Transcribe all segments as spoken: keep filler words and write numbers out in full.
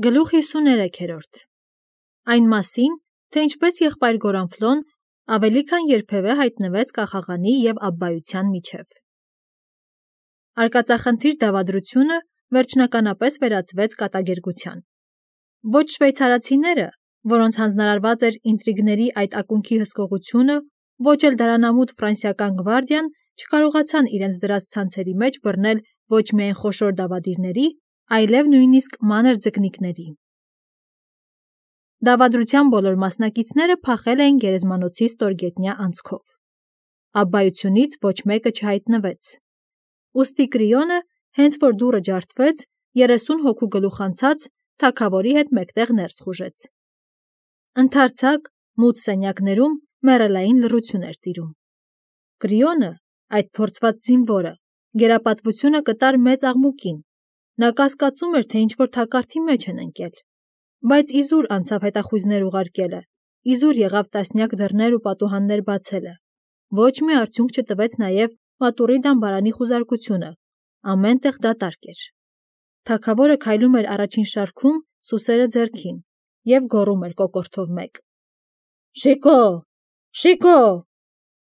Գլուխ հիսուներեքերորդ Այն մասին, թե ինչպես եղբայր Գորանֆլոն ավելի քան երբևէ հայտնվեց կախաղանի և Աբբայության միջև։ Արկածախնդիր դավադրությունը վերջնականապես վերածվեց կատակերգության։ Ոչ շվեյցարացիները, որոնց հանձնարարված էր ինտրիգների այդ ակունքի հսկողությունը, ոչ էլ դարանամուտ ֆրանսիական գվարդիան չկարողացան իրենց դրած ցանցերի մեջ բռնել ոչ միայն խոշոր դավադիրների, այլև նույնիսկ մանր ձկնիկների։ Դավադրության բոլոր մասնակիցները փախել էին գերեզմանոցի ստորգետնյա անցքով։ Աբբայությունից ոչ մեկը չհայտնվեց։ Ուստի Կրիոնը, հենց որ դուռը ջարդվեց, երեսուն հոգու գլուխանցած թագավորի հետ մեկտեղ ներս խուժեց։ Ընդարձակ, մութ սենյակներում մեռելային լռություն էր տիրում։ Կրիոնը, այդ փորձված զինվորը, գերապատվությունը կտար մեծ աղմուկին։ Նա կասկածում էր, թե ինչ-որ թակարդի մեջ են ընկել։ Բայց իզուր անցավ հետախույզներ ուղարկելը, իզուր եղավ տասնյակ դռներ ու պատուհաններ բացելը։ Ոչ մի արդյունք չտվեց նաև մատուռի դամբարանի խուզարկությունը, ամեն տեղ դատարկ էր։ Թագավորը քայլում էր առաջին շարքում, սուսերը ձեռքին, և գոռում էր կոկորդով մեկ. «Շիկո! Շիկո!»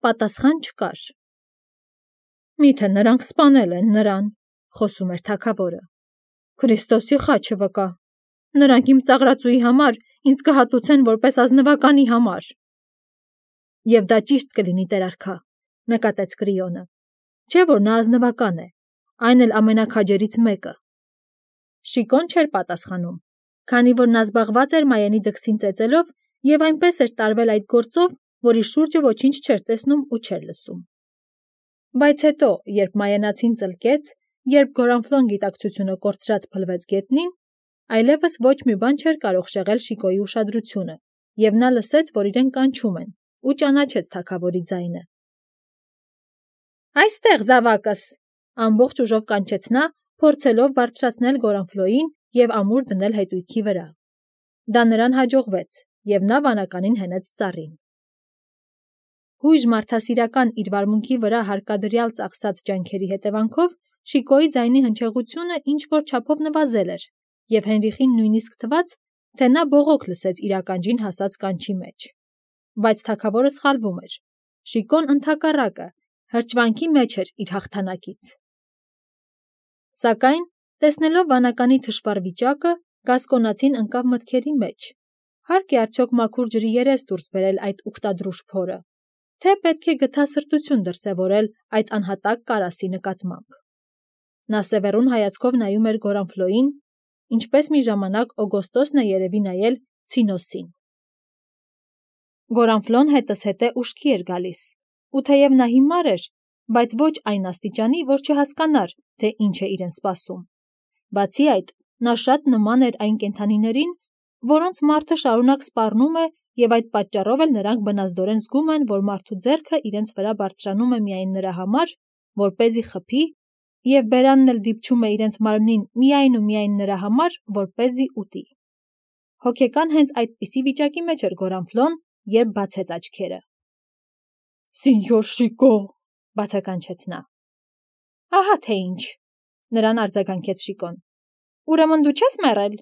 Պատասխան չկար։ «Միթե նրանք սպանել են նրան», խոսում էր թագավորը։ «Քրիստոսի խաչը վկա։ Նրանք իմ ծաղրածուի համար ինձ կհատուցեն որպես ազնվականի համար»։ «Եվ դա ճիշտ կլինի, տեր-արքա», նկատեց Կրիոնը։ «Չէ՞ որ նա ազնվական է, այն էլ ամենաքաջերից մեկը»։ Շիկոն չէր պատասխանում, քանի որ նա զբաղված էր Մայենի դքսին ծեծելով և այնպես էր տարվել այդ գործով, որ իր շուրջը ոչինչ չէր տեսնում ու չէր լսում։ Բայց հետո, երբ մայենացին ծլկեց, երբ Գորանֆլոն գիտակցությունը կորցրած փլվեց գետնին, այլևս ոչ մի բան չէր կարող շեղել Շիկոյի ուշադրությունը, և նա լսեց, որ իրեն կանչում են, ու ճանաչեց թագավորի ձայնը։ «Այստեղ, զավակս», ամբողջ ուժով կանչեց նա, փորձելով բարձրացնել Գորանֆլոյին և ամուր դնել հետույքի վրա։ Դա նրան հաջողվեց, և նա վանականին հենեց ծառին։ Հույժ մարդասիրական իր վարմունքի վրա հարկադրյալ ծախսած ջանքերի հետևանքով Շիկոյի ձայնի հնչեղությունը ինչ-որ չափով նվազել էր, և Հենրիխին նույնիսկ թվաց, թե նա բողոք լսեց իր ականջին հասած կանչի մեջ։ Բայց թագավորը սխալվում էր։ Շիկոն ընդհակառակը հրճվանքի մեջ էր իր հաղթանակից։ Սակայն, տեսնելով վանականի թշվառ վիճակը, գասկոնացին ընկավ մտքերի մեջ. հարկ է արդյոք մաքուր ջրի երես դուրս բերել այդ ուխտադրուժ փորը, թե պետք է գթասրտություն դրսևորել այդ անհատակ կարասի նկատմամբ։ Նա սևեռուն հայացքով նայում էր Գորանֆլոյին, ինչպես մի ժամանակ Օգոստոսն է երևի նայել Ցինոսին։ Գորանֆլոն հետզհետե ուշքի էր գալիս, ու թեև նա հիմար էր, բայց ոչ այն աստիճանի, որ չհասկանար, թե ինչ է իրեն սպասում։ Բացի այդ, նա շատ նման էր այն կենդանիներին, որոնց մարդը շարունակ սպառնում է, և այդ պատճառով էլ նրանք բնազդորեն զգում են, որ մարդու ձեռքը իրենց վրա բարձրանում է միայն նրա համար, որպեսզի խփի, և բերանն էլ դիպչում է իրենց մարմնին միայն ու միայն նրա համար, որպեսզի ուտի։ Հոգեկան հենց այդպիսի վիճակի մեջ էր Գորանֆլոն, երբ բացեց աչքերը։ «Սինյոր Շիկո», բացականչեց նա։ «Ահա թե ինչ», նրան արձագանքեց Շիկոն։ «Ուրեմն դու չես մեռել»։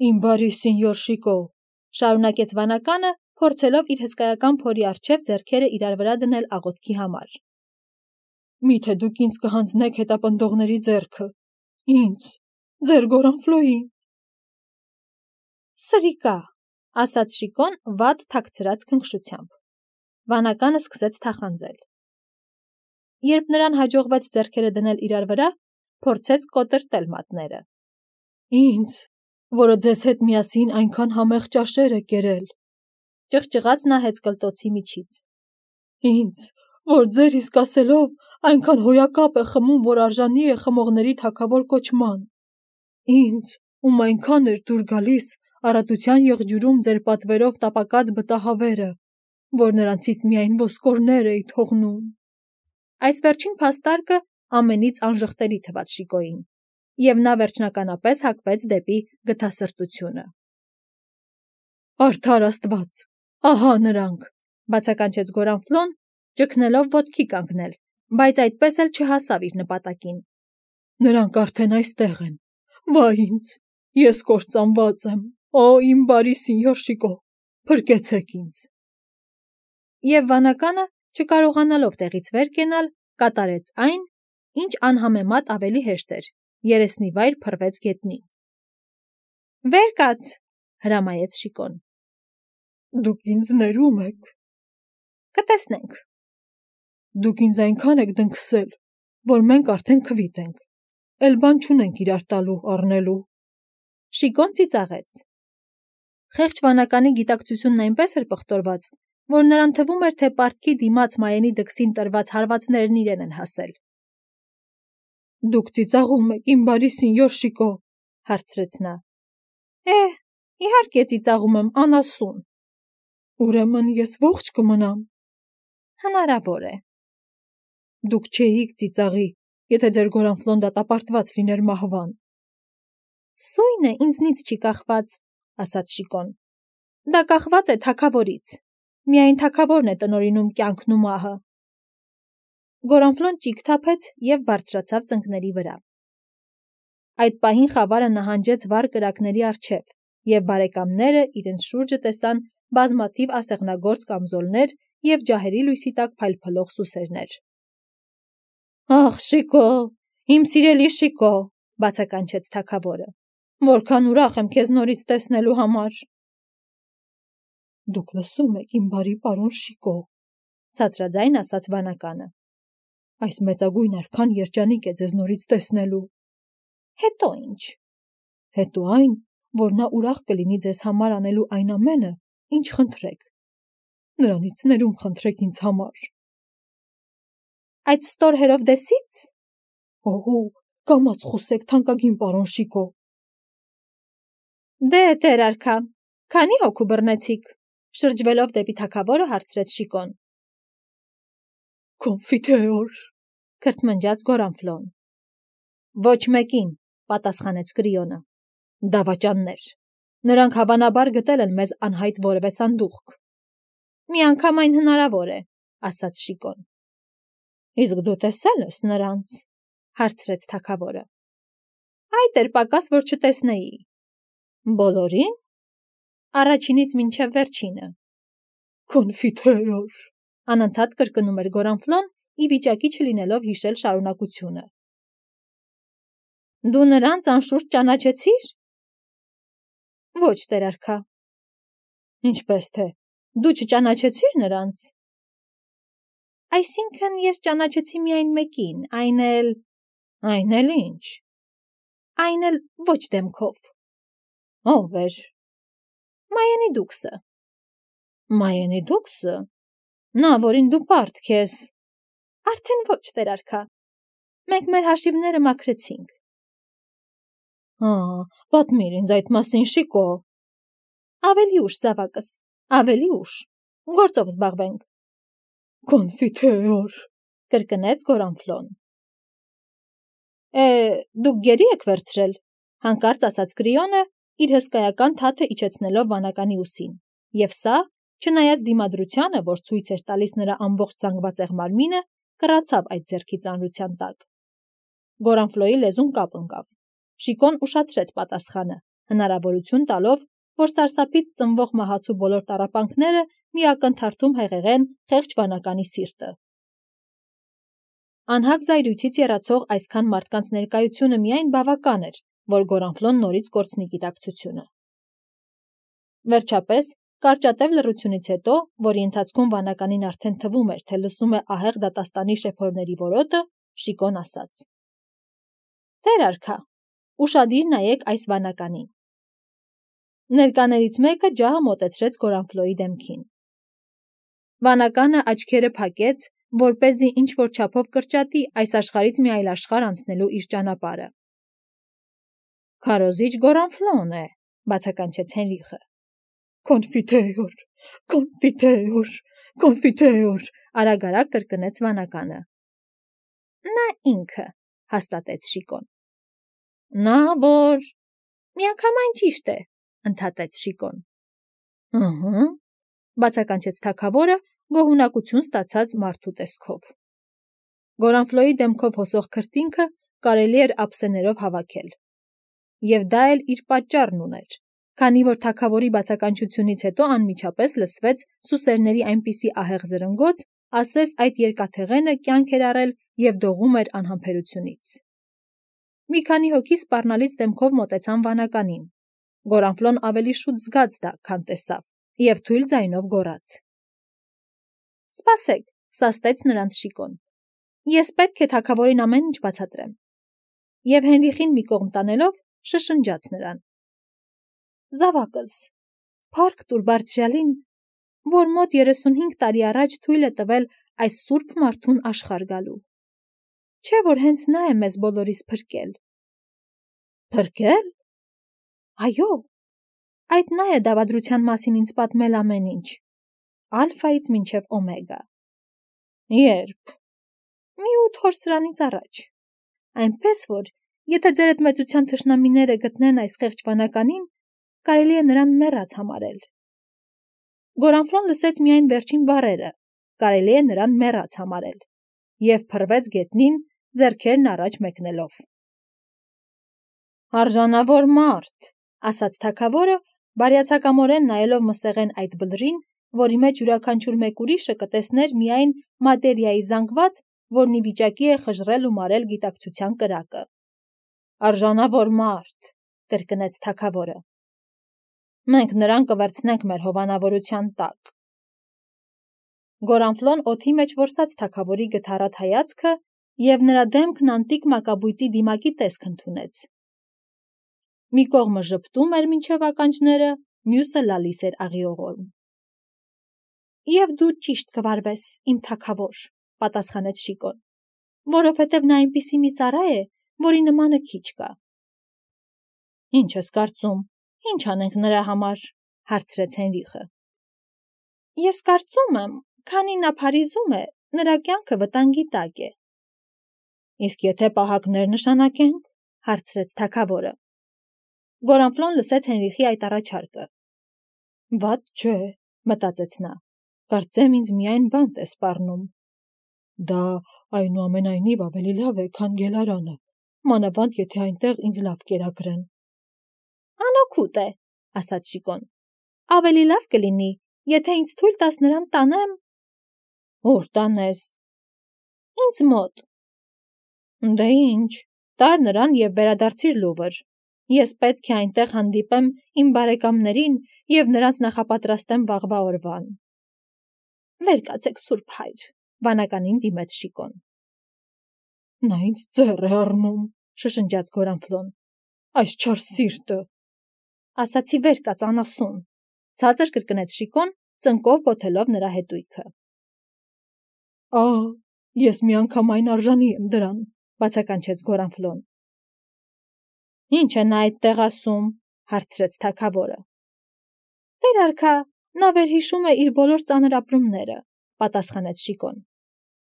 «Իմ բարի սինյոր Շիկո», շարունակեց վանականը, փորձելով իր հսկայական փորի առջև ձեռքերը իրար վրա դնել աղոթքի համար։ «Միթե դուք ինձ կհանձնեք հետապնդողների ձեռքը, ինձ, ձեր Գորանֆլոյին»։ «Սրիկա», ասաց Շիկոն վատ թաքցրած քնքշությամբ։ Վանականը սկսեց թախանձել։ Երբ նրան հաջողվեց ձեռքերը դնել իրար վրա, փորձեց կոտրտել մատները։ «Ինձ, որը ձեզ հետ միասին այնքան համեղ ճաշեր է կերել», ճղճղաց նա հեծկլտոցի միջից։ «Ինձ, որ ձեր իսկ ասելով այնքան հոյակապ է խմում, որ արժանի է խմողների թագավոր կոչման։ Ինձ, ում այնքան էր դուր գալիս առատության եղջյուրում ձեր պատվերով տապակած բտահավերը, որ նրանցից միայն ոսկորներ էի թողնում»։ Այս վերջին փաստարկը ամենից անժխտելի թվաց Շիկոյին, և նա վերջնականապես հակվեց դեպի գթասրտությունը։ «Արդար Աստված, ահա նրանք», բացականչեց Գորանֆլոն, ճգնելով ոտքի կանգնել, բայց այդպես էլ չհասավ իր նպատակին։ «Նրանք արդեն այստեղ են, վայ ինձ, Ես կործանված եմ, օ իմ բարի սինյոր Շիկո, փրկեցեք ինձ։ Եվ վանականը, չկարողանալով տեղից վեր կենալ, կատարեց այն, ինչ անհամեմատ ավելի հեշտ էր, երեսնի վայր փռվեց գետնին։ Վեր կաց, հրամայեց Շիկոն։ Դուք ինձ ներում եք։ Կտեսնենք։ Դուք ինձ այնքան եք դնքսել, որ մենք արդեն քվիտ ենք, էլ բան չունենք իրար տալու առնելու։ Շիկոն ծիծաղեց։ Խեղճ վանականի գիտակցությունն այնպես էր պղտորված, որ նրան թվում էր, թե պարտքի դիմաց Մայենի դքսին տրված հարվածներն իրեն են հասել։ Դուք ծիծաղում եք, իմ բարի սինյոր Շիկո, հարցրեց նա։ Է, իհարկե ծիծաղում եմ, անասուն։ Ուրեմն ես ողջ կմնամ։ Հնարավոր է։ Դուք չէիք ծիծաղի, եթե ձեր Գորանֆլոն դատապարտված լիներ մահվան։ Սույնը ինձնից չի կախված, ասաց Շիկոն։ Դա կախված է թագավորից։ Միայն թագավորն է տնօրինում կյանքն ու մահը։ Գորանֆլոն ճիգ թափեց և բարձրացավ ծնկների վրա։ Այդ պահին խավարը նահանջեց վառ կրակների առջև, և բարեկամները իրենց շուրջը տեսան բազմաթիվ ասեղնագործ կամզոլներ և ջահերի լույսի տակ փայլփլող սուսերներ։ Ախ, Շիկո, իմ սիրելի Շիկո, բացականչեց թագավորը, որքան ուրախ եմ քեզ նորից տեսնելու համար։ Դուք լսում եք, իմ բարի պարոն Շիկո, ցածրաձայն ասաց վանականը։ Այս մեծագույն արքան երջանիկ է ձեզ նորից տեսնելու։ Հետո ինչ։ Հետո այն, որ նա ուրախ կլինի ձեզ համար անելու այն ամենը, ինչ խնդրեք։ Նրանից ներում խնդրեք ինձ համար։ Այդ ստոր Հերովդեսից։ Օհո, կամաց խոսեք, թանկագին պարոն Շիկո։ Դե, տեր արքա, քանի հոգու բռնեցիք, շրջվելով դեպի թագավորը հարցրեց Շիկոն։ Կոնֆիտեոր, քրթմնջաց Գորանֆլոն։ Ոչ մեկին, պատասխանեց Կրիոնը։ Դավաճաններ։ Նրանք հավանաբար գտել են մեզ անհայտ որևէ սանդուղք։ Միանգամայն հնարավոր է, ասաց Շիկոն։ Իսկ դու տեսել ես նրանց, հարցրեց թագավորը։ Այդ էր պակաս, որ չտեսնեի։ Բոլորին։ Առաջինից մինչև վերջինը։ Կոնֆիտեոր, անընդհատ կրկնում էր Գորանֆլոն, ի վիճակի չլինելով հիշել շարունակությունը։ Դու նրանց անշուշտ ճանաչեցիր։ Ոչ, տեր արքա։ Ինչպես թե, դու չճանաչեցիր նրանց։ Այսինքն ես ճանաչեցի միայն մեկին, այն էլ… Այն էլ ինչ։ Այն էլ ոչ դեմքով։ Ով էր։ Մայենի դուքսը։ Մայենի դուքսը։ Նա, որին դու պարտք ես։ Արդեն ոչ, տեր արքա։ Մենք մեր հաշիվները մաքրեցինք։ Հա, պատմիր ինձ այդ մասին, Շիկո։ Ավելի ուշ, զավակս, ավելի ուշ։ Գործով զբաղվենք։ Կոնֆիտեոր, կրկնեց Գորանֆլոն։ Է, դուք գերի եք վերցրել, հանկարծ ասաց Կրիոնը, իր հսկայական թաթը իջեցնելով վանականի ուսին, և սա, չնայած դիմադրությանը, որ ցույց էր տալիս նրա ամբողջ զանգվածեղ մարմինը, կռացավ այդ ձեռքի ծանրության տակ։ Գորանֆլոյի լեզուն կապ ընկավ։ Շիկոն ուշացրեց պատասխանը, հնարավորություն տալով, որ սարսափից ծնվող մահացու բոլոր տառապանքները մի ակնթարթում հեղեղեն խեղճ վանականի սիրտը։ Անհագ զայրույթից եռացող այսքան մարդկանց ներկայությունը միայն բավական էր, որ Գորանֆլոն նորից կորցնի գիտակցությունը։ Վերջապես, կարճատև լռությունից հետո, որի ընթացքում վանականին արդեն թվում էր, թե լսում է ահեղ դատաստանի շեփորների որոտը, Շիկոն ասաց. Տեր արքա, ուշադիր նայեք այս վանականին։ Ներկաներից մեկը ջահը մոտեցրեց Գորանֆլոյի դեմքին։ Վանականը աչքերը փակեց, որպեսզի ինչ-որ չափով կրճատի այս աշխարհից մի այլ աշխարհ անցնելու իր ճանապարհը։ Քարոզիչ Գորանֆլոն է, բացականչեց Հենրիխը։ Կոնֆիտեոր, կոնֆիտեոր, կոնֆիտեոր, արագ-արագ կրկնեց վանականը։ Նա ինքը, հաստատեց Շիկոն։ Նա որ… Միանգամայն ճիշտ է, ընդհատեց Շիկոն։ Ըհը, բացականչեց թագավորը, գոհունակություն ստացած մարդու տեսքով։ Գորանֆլոյի դեմքով հոսող քրտինքը կարելի էր ափսեներով հավաքել։ և դա էլ իր պատճառն ուներ, քանի որ թագավորի բացականչությունից հետո անմիջապես լսվեց սուսերների այնպիսի ահեղ զրնգոց, ասես այդ երկաթեղենը կյանք էր առել և դողում էր անհամբերությունից։ Մի քանի հոգի սպառնալից դեմքով մոտեցան վանականին։ Գորանֆլոն ավելի շուտ զգաց դա, քան տեսավ, և թույլ ձայնով գոռաց. «Սպասեք», սաստեց նրանց Շիկոն։ «Ես պետք է թագավորին ամեն ինչ բացատրեմ»։ Եվ Հենրիխին մի կողմ տանելով շշնջաց նրան. «Զավակս, փառք տուր Բարձրյալին, որ մոտ երեսունհինգ տարի առաջ թույլ է տվել այս սուրբ մարդուն աշխարհ գալու։ Չէ՞ որ հենց նա է մեզ բոլորիս փրկել»։ «Փրկե՞լ»։ «Այո, այդ նա է դավադրության մասին ինձ պատմել ամեն ինչ, ալֆայից մինչև օմեգա»։ «Ե՞րբ»։ «Մի ութ օր սրանից առաջ, այնպես որ, եթե ձերդ մեծության թշնամիները գտնեն այս խեղճ վանականին, կարելի է նրան մեռած համարել»։ Գորանֆլոն լսեց միայն վերջին բառերը. «կարելի է նրան մեռած համարել» և փռվեց գետնին, ձեռքերն առաջ մեկնելով։ «Արժանավոր մարդ», ասաց թագավորը, բարյացակամորեն նայելով մսեղեն այդ բլրին, որի մեջ յուրաքանչյուր մեկ ուրիշը կտեսներ միայն մատերիայի զանգված, որն ի վիճակի է խժռել ու մարել գիտակցության կրակը։ «Արժանավոր մարդ», կրկնեց թագավորը։ «Մենք նրան կվերցնենք մեր հովանավորության տակ»։ Գորանֆլոն օդի մեջ որսաց թագավորի գթառատ հայացքը, և նրա դեմքն անտիկ մակաբույծի դիմակի տեսք ընդունեց։ Մի կողմը ժպտում էր մինչև ականջները, մյուսը լալիս էր աղիողորմ։ «Եվ դու ճիշտ կվարվես, իմ թագավոր», պատասխանեց Շիկոն, «որովհետև նա այնպիսի մի ծառա է, որի նմանը քիչ կա»։ «Ինչ ես կարծում, ինչ անենք նրա համար», հարցրեց Հենրիխը։ «Ես կարծում եմ, քանի նա Փարիզում է, նրա կյանքը վտանգի տակ է»։ «Իսկ եթե պահակներ նշանակենք», հարցրեց թագավորը։ Գորանֆլոն լսեց Հենրիխի այդ առաջարկը։ «Վատ չէ», մտածեց նա, «կարծեմ ինձ միայն բանտ է սպառնում»։ «Դա այնուամենայնիվ ավելի լավ է, քան գելարանը, մանավանդ եթե այնտեղ ինձ լավ կերակրեն»։ «Անօգուտ է», ասաց Շիկոն, «ավելի լավ կլինի, եթե ինձ թույլ տաս նրան տանեմ»։ «Ո՞ւր տանես»։ «Ինձ մոտ»։ «Դե ինչ, տար նրան և վերադարձիր Լուվր։ Ես պետք է այնտեղ հանդիպեմ իմ բարեկամներին և նրանց նախապատրաստեմ վաղվա օրվան»։ «Վեր կացեք, սուրբ հայր», վանականին դիմեց Շիկոն։ «Նա ինձ ձեռ է առնում», շշնջաց Գորանֆլոն, «այս չար սիրտը»։ «Ասացի վեր կաց, անասուն», ցածր կրկնեց Շիկոն, ծնկով բոթելով նրա հետույքը։ «Ահ, ես միանգամայն արժանի եմ դրան», բացականչեց Գորանֆլոն։ «Ինչ է նա այդտեղ ասում», հարցրեց թագավորը։ «Տեր արքա, նա վերհիշում է իր բոլոր ծանր ապրումները», պատասխանեց Շիկոն։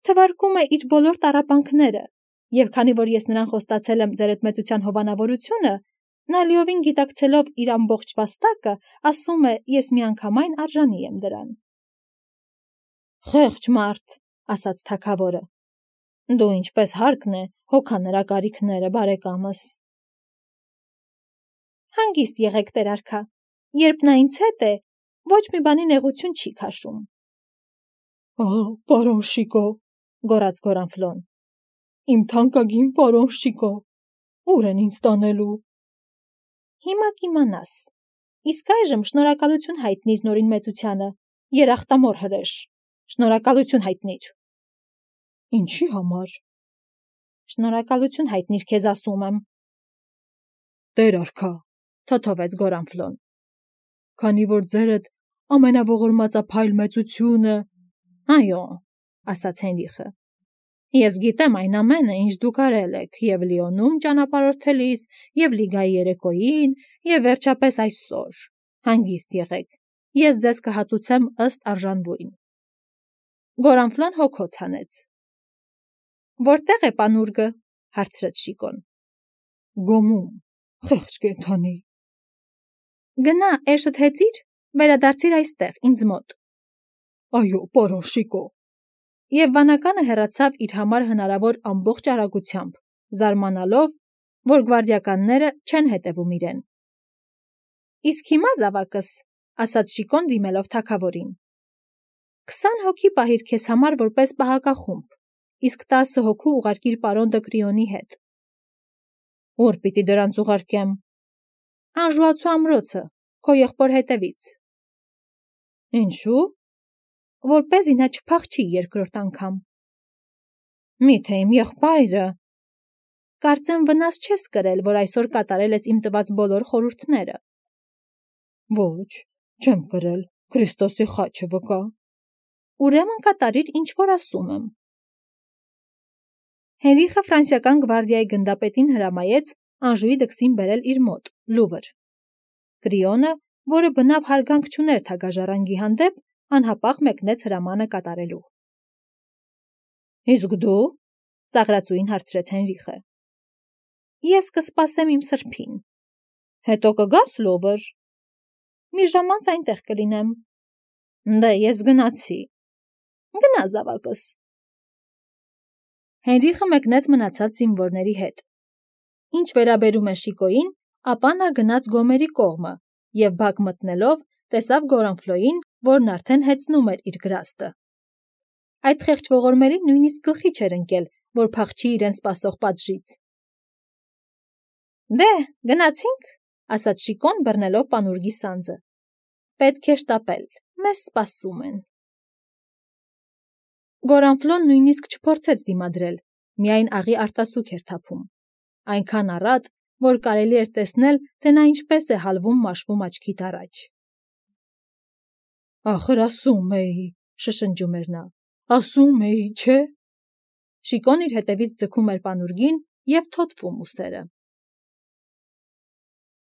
«Թվարկում է իր բոլոր տառապանքները, և քանի որ ես նրան խոստացել եմ ձերդ մեծության հովանավորությունը, նա լիովին գիտակցելով իր ամբողջ վաստակը, ասում է, ես միանգամայն արժանի եմ դրան»։ «Խեղճ մարդ», ասաց թագավորը։ «Դու ինչպես հարկն է, հոգա նրա կարիքները, բարեկամս»։ «Հանգիստ եղեք, տեր արքա, երբ նա ինձ հետ է, ոչ մի բանի նեղություն չի քաշում»։ «Ահ, պարոն Շիկո», գոռաց Գորանֆլոն, «իմ թանկագին պարոն Շիկո, ուր են ինձ տանելու»։ «Հիմա կիմանաս, իսկ այժմ շնորհակալություն հայտնիր նորին մեծությանը, երախտամոռ հրեշ, շնորհակալություն հայտնիր»։ «Ինչի համար»։ «Շնորհակալություն հայտնիր քեզ, ասում եմ»։ «Տեր արքա», թոթովեց Գորանֆլոն, «քանի որ ձերդ ամենաողորմածափայլ մեծությունը»։ «Այո», ասաց Հենրիխը, «ես գիտեմ այն ամենը, ինչ դուք արել եք և Լիոնում ճանապարհորդելիս, և Լիգայի երեկոյին, և վերջապես այսօր։ Հանգիստ եղեք, ես ձեզ կհատուցեմ ըստ արժանվույն»։ Գորանֆլոն հոգոց հանեց։ «Որտե՞ղ է պանուրգը», հարցրեց Շիկոն։ «Գոմում, խեղճ կենդանի»։ «Գնա, էշդ հեծիր, վերադարձիր այստեղ, ինձ մոտ»։ «Այո, պարոն Շիկո»։ Եվ վանականը հեռացավ իր համար հնարավոր ամբողջ արագությամբ, զարմանալով, որ գվարդիականները չեն հետևում իրեն։ Իսկ հիմա զավակս, ասաց Շիկոն դիմելով թագավորին, քսան հոգի պահիր քեզ համար որպես պահակախումբ, իսկ տասը հոգու ուղարկիր պարոն Դկրիոնի հետ։ Ուր պիտի դրանց ուղարկեմ։ Անժուացու ամրոցը, քո եղբոր հետևից։ Ինչու՞։ Որպեսզի նա չփախչի երկրորդ անգամ։ Միթե իմ եղբայրը։ Կարծեմ վնաս չես կրել, որ այսօր կատարել ես իմ տված բոլոր խորհուրդները։ Ոչ, չեմ կրել, Քրիստոսի խաչը վկա։ Ուրեմն կատարիր, ինչ որ ասում եմ։ Հենրիխը ֆրանսիական գվարդիայի գնդապետին հրամայեց Անժուի դքսին բերել իր մոտ, Լուվր։ Կրիոնը, որը բնավ հարգանք չուներ թագաժառանգի հանդեպ, անհապաղ մեկնեց հրամանը կատարելու։ Իսկ դու, ծաղրածուին հարցրեց Հենրիխը։ Ես կսպասեմ իմ սրբին։ Հետո կգաս Լուվր։ Մի ժամ անց այնտեղ կլինեմ։ Դե ես գնացի։ Գնա զավակս։ Հենրիխը մեկնեց մնացած զինվորների հետ։ Ինչ վերաբերում է Շիկոյին, ապա նա գնաց Գոմերի կողմը և բակ մտնելով տեսավ Գորանֆլոյին, որն արդեն հեծնում էր իր գրաստը։ Այդ խեղճ ողորմելին նույնիսկ գլխի չէր ընկել, որ փախչի իրեն սպասող պատժից։ Դե, գնացինք, ասաց Շիկոն, բռնելով պանուրգի սանձը։ Պետք է շտապել, մեզ սպասում են։ Գորանֆլոն նույնիսկ չփորձեց դիմադրել, միայն աղի արտասուք էր թափում։ Այնքան առատ, որ կարելի էր տեսնել, թե նա ինչպես է հալվում մաշվում աչքիդ առաջ։ Ախր ասում էի, շշնջում էր նա, ասում էի, չէ։ Շիկոն իր հետևից ձգում էր պանուրգին և թոթվում ուսերը։